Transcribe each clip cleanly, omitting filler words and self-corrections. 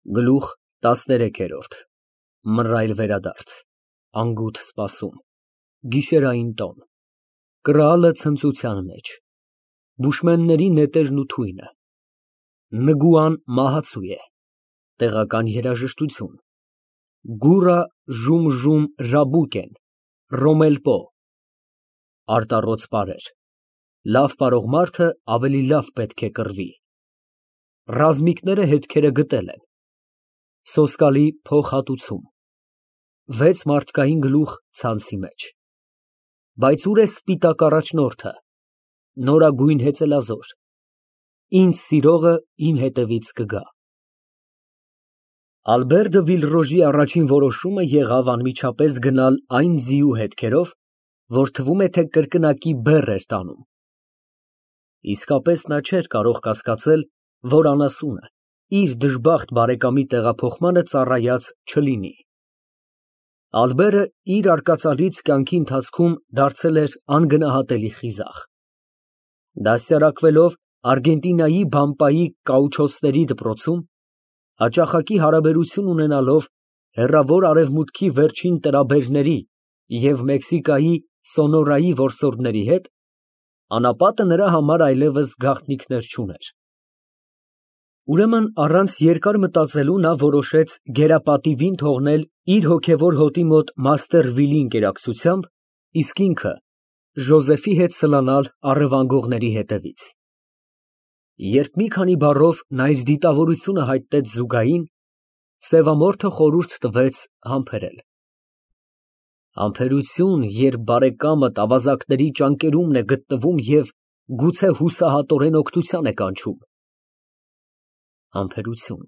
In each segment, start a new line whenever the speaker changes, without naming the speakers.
Գլուխ 13 Մռայլ վերադարձ, անգութ սպասում, գիշերային տոն, կռալը ցնծության մեջ, բուշմենների նետերն ու թույնը, Նգուան մահացու է, տեղական երաժշտություն, գուռա ժում ռաբուկեն, ռոմելպո, արտառոց պարեր, լավ պարող մարդը ավելի լավ պետք է կռվի, ռազմիկները հետքերը գտել են, սոսկալի փոխհատուցում, 6 մարդկային գլուխ ցանցի մեջ, բայց ուր է սպիտակ առաջնորդը, նորագույն հեծելազոր, ինձ սիրողը իմ հետևից կգա։ Ալբերտը Վիլրոժի առաջին որոշումը եղավ անմիջապես գնալ այն ձիու հետքերով, որ թվում է, թե կրկնակի բեռ էր տանում։ Իսկապես նա չէր կարող կասկածել, որ անասունը իր դժբախտ բարեկամի տեղափոխմանը ծառայած չլինի։ Ալբերը իր արկածալից կյանքի ընթացքում դարձել էր անգնահատելի խիզախ։ Դաստիարակվելով Արգենտինայի բամպայի կաուչոսների դպրոցում, հաճախակի հարաբերություն ունենալով հեռավոր արևմուտքի վերջին տրաբերների և Մեքսիկայի Սոնորայի որսորդների հետ, անապատը նրա համար այլևս գաղտնիքներ չուներ։ Ուրեմն առանց երկար մտածելու նա որոշեց գերապատիվին թողնել իր հոգևոր հոտի մոտ մաստեր Վիլի ընկերակցությամբ, իսկ ինքը Ժոզեֆի հետ սլանալ առևանգողների հետևից։ Երբ մի քանի բառով նա իր դիտավորությունը հայտնեց Զուգային, սևամորթը խորհուրդ տվեց համբերել։ Համբերություն, երբ բարեկամդ ավազակների ճանկերումն է գտնվում և գուցե հուսահատորեն օգնության է կանչում։ Համբերություն։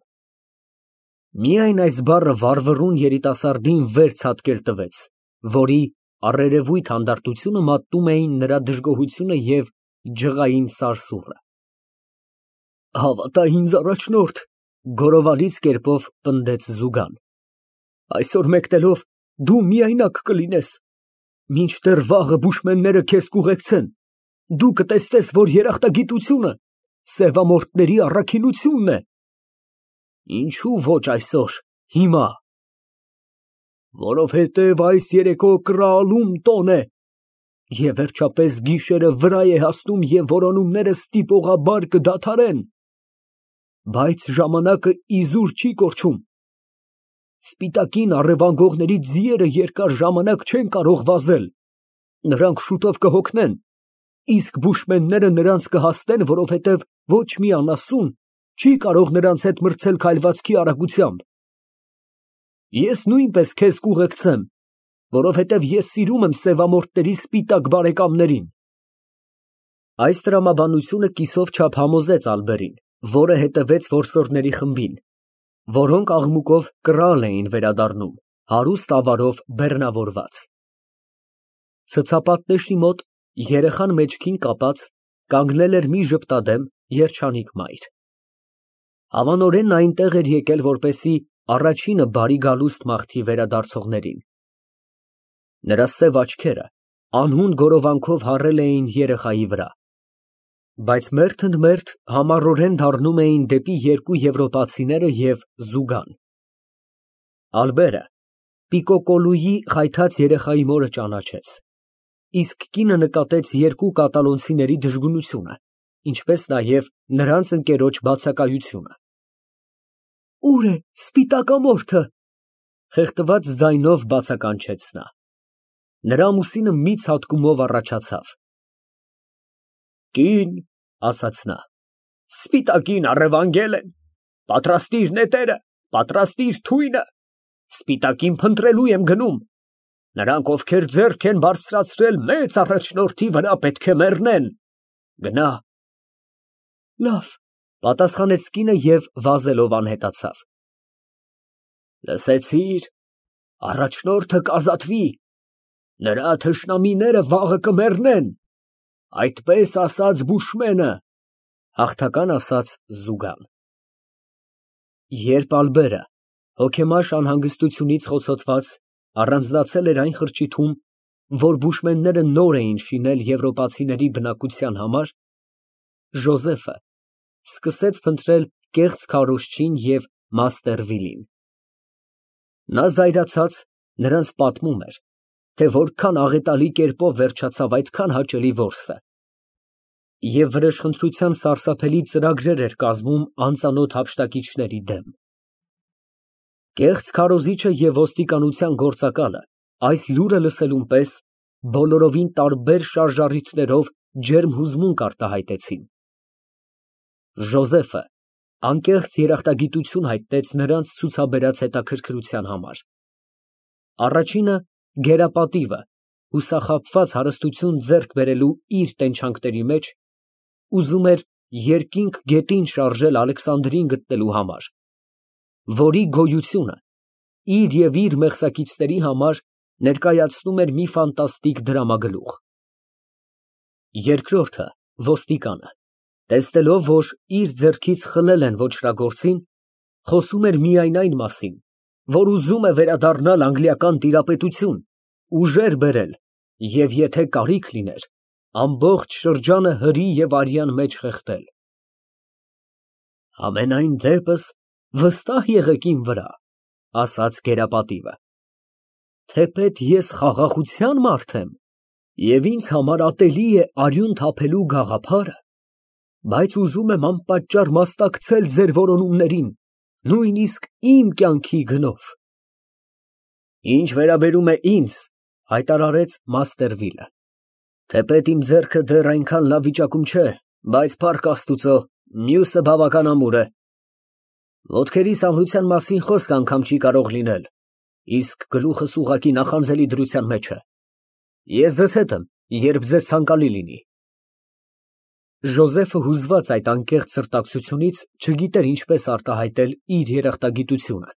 Միայն այս բառը վառվռուն երիտասարդին վեր ցատկել տվեց, որի առերևույթ հանդարտությունը մատնում էին նրա դժգոհությունը և ջղային սարսուռը։ Հավատա ինձ, առաջնորդ, գոռովալից կերպով պնդեց Զուգան, այսօր մեկնելով դու միայնակ կլինես, մինչդեռ վաղը բուշմենները քեզ կուղեկցեն, դու կտեսնես, որ երախտագիտությունը սևամորթների առաքինությունն է։ Ինչու ոչ այսօր, հիմա։ Որովհետև այս երեկո կռալում տոն է, և վերջապես գիշերը վրա է հասնում և որոնումները ստիպողաբար կդադարեն, բայց ժամանակը իզուր չի կորչում։ Սպիտակին առևանգողների ձիերը երկար ժամանակ չեն կարող վազել, նրանք շուտով կհոգնեն, իսկ բուշմենները նրանց կհասնեն, որովհետև ոչ մի անասուն չի կարող նրանց հետ մրցել քայլվածքի արագությամբ։ Ես նույնպես քեզ կուղեկցեմ, որովհետև ես սիրում եմ սևամորթների սպիտակ բարեկամներին։ Այս տրամաբանությունը կիսով չափ համոզեց Ալբերին, որը հետևեց որսորդների խմբին, որոնք աղմուկով կռալ էին վերադառնում, հարուստ ավարով բեռնավորված։ Ցցապատների մոտ, երեխան մեջքին կապած, կանգնել էր մի ժպտադեմ, երջանիկ մայր։ Հավանորեն նա այնտեղ էր եկել, որպեսզի առաջինը բարի գալուստ մաղթի վերադարձողներին։ Նրա սև աչքերը անհուն գորովանքով հառել էին երեխայի վրա, բայց մերթ ընդ մերթ համառորեն դառնում էին դեպի երկու եվրոպացիները և Զուգան։ Ալբերը Պիկոկոլուի խայթած երեխայի մորը ճանաչեց, իսկ կինը նկատեց երկու կատալոնցիների դժգունությունը, ինչպես նաև նրանց ընկերոջ բացակայությունը։ Ո՞ւր է սպիտակամորթը, խեղդված ձայնով բացականչեց նա։ Նրա ամուսինը մի ցատկումով առաջացավ։ Կին, ասաց նա, սպիտակին առևանգել են, պատրաստիր նետերը, պատրաստիր թույնը, սպիտակին փնտրելու եմ գնում, նրանք, ովքեր ձեռք են բարձրացրել մեծ առաջնորդի վրա, պետք է մեռնեն, գնա։ Լավ, պատասխանեց կինը և վազելով անհետացավ։ Լսեցի՞ր, առաջնորդը կազատվի, նրա թշնամիները վաղը կմեռնեն, այդպես ասաց բուշմենը, հաղթական ասաց Զուգան։ Երբ Ալբերը հոգեմաշ անհանգստությունից խոցոտված առանձնացել էր այն խրճիթում, որ բուշմենները նոր էին շինել եվրոպացիների բնակության համար, Ժոզեֆը սկսեց փնտրել կեղծ քարոզչին և մաստեր Վիլին։ Նա զայրացած նրանց պատմում էր, թե որքան աղետալի կերպով վերջացավ այդքան հաճելի որսը, և վրեժխնդրության սարսափելի ծրագրեր էր կազմում անծանոթ հափշտակիչների դեմ։ Կեղծ քարոզիչը և ոստիկանության գործակալը այս լուրը լսելուն պես բոլորովին տարբեր շարժառիթներով ջերմ հուզմունք արտահայտեցին։ Ժոզեֆը անկեղծ երախտագիտություն հայտնեց նրանց ցուցաբերած հետաքրքրության համար։ Առաջինը գերապատիվը, հուսախաբված հարստություն ձեռք բերելու իր տենչանքների մեջ, ուզում էր երկինք գետին շարժել Ալեքսանդրին գտնելու համար, որի գոյությունը իր և իր մեղսակիցների համար ներկայացնում էր մի ֆանտաստիկ դրամագլուխ։ Երկրորդը ոստիկանը, տեսնելով, որ իր ձեռքից խլել են ոճրագործին, խոսում էր միայն այն մասին, որ ուզում է վերադառնալ անգլիական տիրապետություն, ուժեր բերել և, եթե կարիք լիներ, ամբողջ շրջանը հրի և արյան մեջ խեղդել։ Համենայն դեպս վստահ եղեք իմ վրա, ասաց գերապատիվը, թեպետ ես խաղաղության մարդ եմ, և ինձ համար ատելի է արյուն թափելու գաղափարը, բայց ուզում եմ անպատճառ մասնակցել ձեր որոնումներին, նույնիսկ իմ կյանքի գնով։ Ինչ վերաբերում է ինձ, հայտարարեց մաստեր Վիլը, թեպետ իմ ձեռքը դեռ այնքան լավ վիճակում չէ, բայց փառք Աստուծո, մյուսը բավական ամուր է։ Ոտքերիս ամրության մասին խոսք անգամ չի կարող լինել, իսկ գլուխս ուղղակի նախանձելի դրության մեջ է։ Ես ձեզ հետ եմ, երբ ձեզ ցանկալի լինի։ Ժոզեֆը հուզված այդ անկեղծ սրտակցությունից չգիտեր ինչպես արտահայտել իր երախտագիտությունը։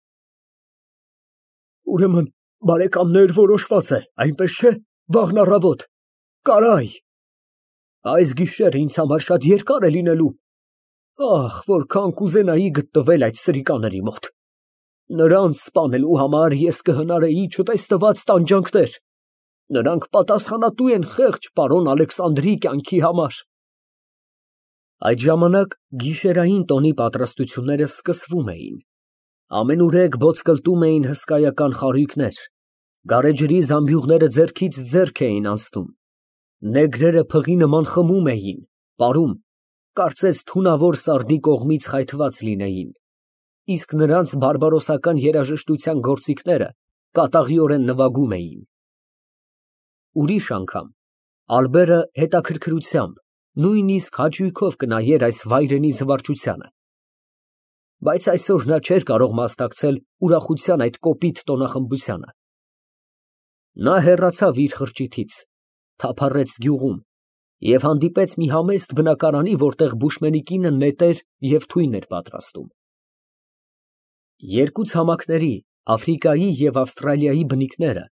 Ուրեմն, բարեկամներ, որոշված է, այնպես չէ, վաղն առավոտ, կարայ։ Այս գիշերը ինձ համար շատ երկար է լինելու։ Ահ, որքան կուզենայի գտնվել այդ սրիկաների մոտ։ Նրանց սպանելու համար ես կհնարեի չտեսնված տանջանքներ։ Նրանք պատասխանատու են խեղճ պարոն Ալեքսանդրի կյանքի համար։ Այդ ժամանակ գիշերային տոնի պատրաստությունները սկսվում էին։ Ամենուրեք բոցկլտում էին հսկայական խարույկներ, գարեջրի զամբյուղները ձեռքից ձեռք էին անցնում, նեգրերը փղի նման խմում էին, պարում, կարծես թունավոր սարդի կողմից խայթված լինեին, իսկ նրանց բարբարոսական երաժշտության գործիքները կատաղիորեն նվագում էին։ Ուրիշ անգամ Ալբերը հետաքրքրությամբ, նույնիսկ հաճույքով կնայեր այս վայրենի զվարճությանը, բայց այսօր նա չէր կարող մասնակցել ուրախության այդ կոպիտ տոնախմբությանը։ Նա հեռացավ իր խրճիթից, թափառեց գյուղում և հանդիպեց մի համեստ բնակարանի, որտեղ բուշմենի կինը նետեր և թույն էր պատրաստում։ Երկու ցամաքների, Աֆրիկայի և Ավստրալիայի բնիկները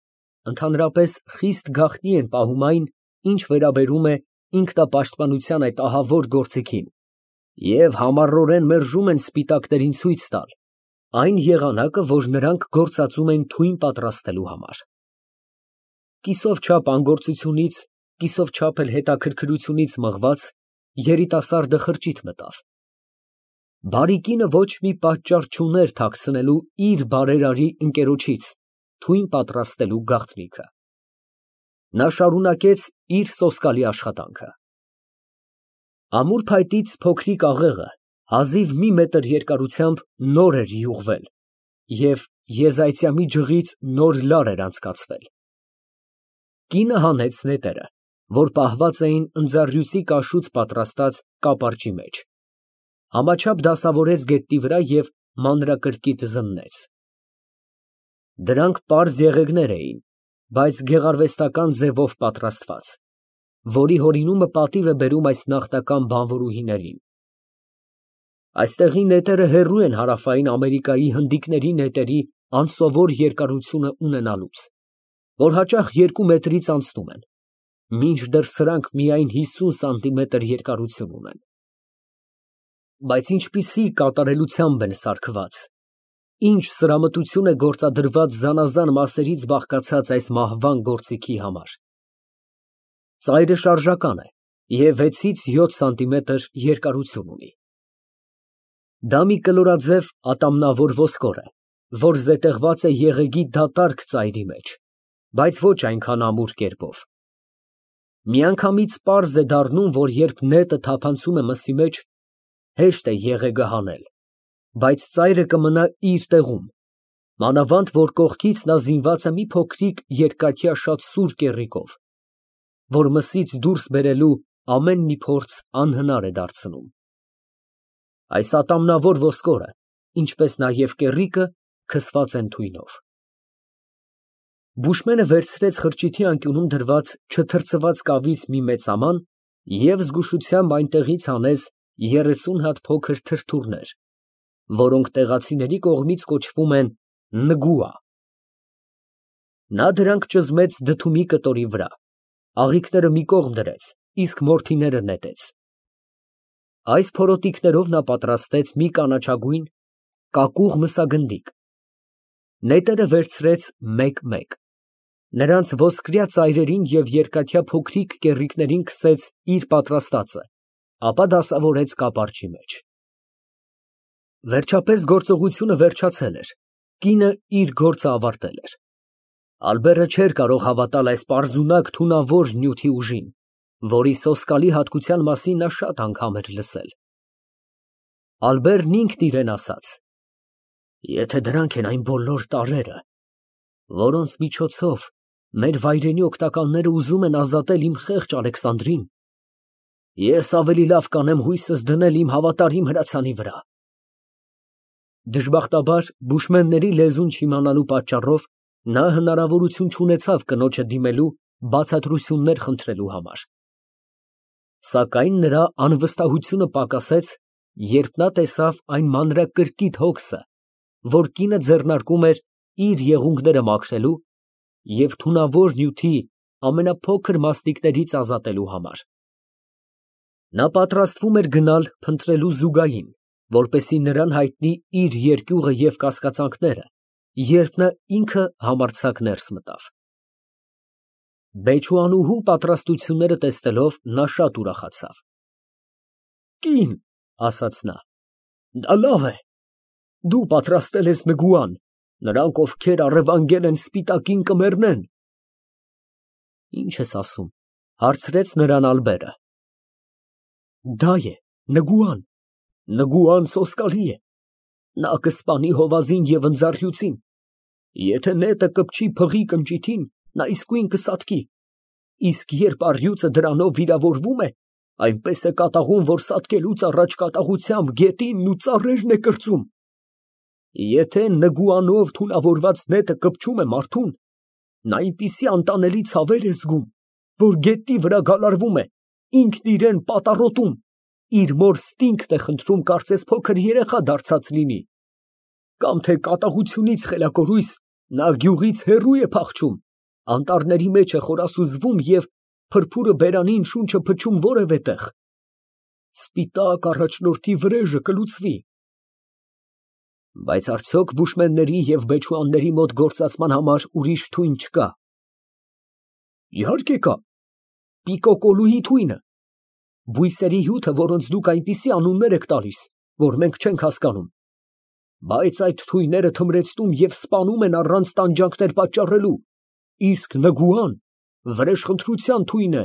ընդհանրապես խիստ գաղտնի են պահում այն, ինչ վերաբերում է ինքնապաշտպանության այդ ահավոր գործիքին, և համառորեն մերժում են սպիտակներին ցույց տալ այն եղանակը, որ նրանք գործածում են թույն պատրաստելու համար։ Կիսով չափ անգործությունից, կիսով չափ էլ հետաքրքրությունից մղված, երիտասարդը խրճիթ մտավ։ Բարի կինը ոչ մի պատճառ չուներ թաքցնելու իր բարերարի ընկերոջից թույն պատրաստելու գաղտնիքը։ Նա շարունակեց իր սոսկալի աշխատանքը։ Ամուր փայտից փոքրիկ աղեղը հազիվ մի մետր երկարությամբ նոր էր յուղվել և եզայցյամի ջղից նոր լար էր անցկացվել։ Կինը հանեց նետերը, որ պահված էին ընձառյուծի կաշուց պատրաստած կապարճի մեջ, համաչափ դասավորեց գետնի վրա և մանրակրկիտ զննեց։ Դրանք պարզ եղեգներ էին, բայց գեղարվեստական ձևով պատրաստված, որի հորինումը պատիվ է բերում այս նախնական բանվորուհիներին։ Այստեղի նետերը հեռու են Հարավային Ամերիկայի հնդիկների նետերի անսովոր երկարությունը ունենալուց, որ հաճախ 2 մետրից անցնում են, մինչդեռ սրանք միայն 50 սանտիմետր երկարություն ունեն։ Բայց ինչպիսի կատարելությամբ են սարքված, ինչ սրամտություն է գործադրված զանազան մասերից բաղկացած այս մահվան գործիքի համար։ Ծայրը շարժական է և 6-ից 7 սանտիմետր երկարություն ունի։ Դա մի կլորաձև ատամնավոր ոսկոր է, որ զետեղված է եղեգի դատարկ ծայրի մեջ, բայց ոչ այնքան ամուր կերպով։ Միանգամից պարզ է դառնում, որ երբ նետը թափանցում է մսի մեջ, հեշտ է եղեգը հանել, բայց ծայրը կմնա իր տեղում, մանավանդ որ կողքից նա զինված է մի փոքրիկ երկաթյա շատ սուր կեռիկով, որ մսից դուրս բերելու ամեն մի փորձ անհնար է դարձնում։ Այս ատամնավոր ոսկորը, ինչպես նաև կեռիկը, քսված են թույնով։ Բուշմենը վերցրեց խրճիթի անկյունում դրված չթրծված կավից մի մեծաման և զգուշությամբ այնտեղից հանեց 30 հատ փոքր թրթուրներ, որոնք տեղացիների կողմից կոչվում են նգուա։ Նա դրանք ճզմեց դդումի կտորի վրա, աղիքները մի կողմ դրեց, իսկ մորթիները նետեց։ Այս փորոտիքներով նա պատրաստեց մի կանաչագույն կակուղ մսագնդիկ, նետերը վերցրեց մեկ֊մեկ, նրանց ոսկրյա ծայրերին և երկաթյա փոքրիկ կեռիկներին քսեց իր պատրաստածը, ապա դասավորեց կապարճի մեջ։ Վերջապես գործողությունը վերջացել էր, կինը իր գործը ավարտել էր։ Ալբերը չէր կարող հավատալ այս պարզունակ թունավոր նյութի ուժին, որի սոսկալի հատկության մասին նա շատ անգամ էր լսել։ Ալբերն ինքն իրան ասաց. «Եթե դրանք են այն բոլոր տարրերը, որոնց միջոցով մեր վայրենի օգնականները ուզում են ազատել իմ խեղճ Ալեքսանդրին, ես ավելի լավ կանեմ հույսս դնել իմ հավատարիմ հրացանի վրա»։ Դժբախտաբար բուշմենների լեզուն չիմանալու պատճառով նա հնարավորություն չունեցավ կնոջը դիմելու բացատրություններ խնդրելու համար։ Սակայն նրա անվստահությունը պակասեց, երբ նա տեսավ այն մանրակրկիտ հոգսը, որ կինը ձեռնարկում էր իր եղունգները մաքրելու և թունավոր նյութի ամենափոքր մասնիկներից ազատելու համար։ Նա պատրաստվում էր գնալ փնտրելու Զուգային, որպեսզի նրան հայտնի իր երկյուղը և կասկածանքները, երբ նա ինքը համարձակ ներս մտավ։ Բեչուանուհու պատրաստությունները տեսնելով նա շատ ուրախացավ։ «Կին, ֊ ասաց նա, ֊ դա լավ է, դու պատրաստել ես նգուան, նրանք, ովքեր առևանգել են սպիտակին, կմեռնեն»։ «Ի՞նչ ես ասում, ֊ հարցրեց նրան Ալբերը։ ֊ Դա է, նգուան, նգուան սոսկալի է, նա կսպանի հովազին և ընձառյուծին, եթե նետը կպչի փղի կնճիթին, նա իսկույն կսատկի, իսկ երբ առյուծը դրանով վիրավորվում է, այնպես է կատաղում, որ սատկելուց առաջ կատաղությամբ գետինն ու ծառերն է կրծում։ Եթե նգուանով թունավորված նետը կպչում է մարդուն, նա այնպիսի անտանելի ցավեր է զգում, որ գետնի վրա գալարվում է, ինքն իրան պատառոտում, իր մոր ստինգն է խնդրում, կարծես փոքր երեխա դարձած լինի, կամ թե կատաղությունից խելակորույս նա գյուղից հեռու է փախչում, անտառների մեջ է խորասուզվում և փրփուրը բերանին շունչը փչում որևէ տեղ, սպիտակ առաջնորդի վրեժը կլուծվի։ Բայց արդյոք բուշմենների և բեչուանների մոտ գործածման համար ուրիշ թույն չկա։ Իհարկե կա, պիկոկոլուի թույնը, բույսերի հյութը, որոնց դուք այնպիսի անուններ եք տալիս, որ մենք չենք հասկանում, բայց այդ թույները թմրեցնում և սպանում են առանց տանջանքներ պատճառելու, իսկ նգուան վրեժխնդրության թույն է,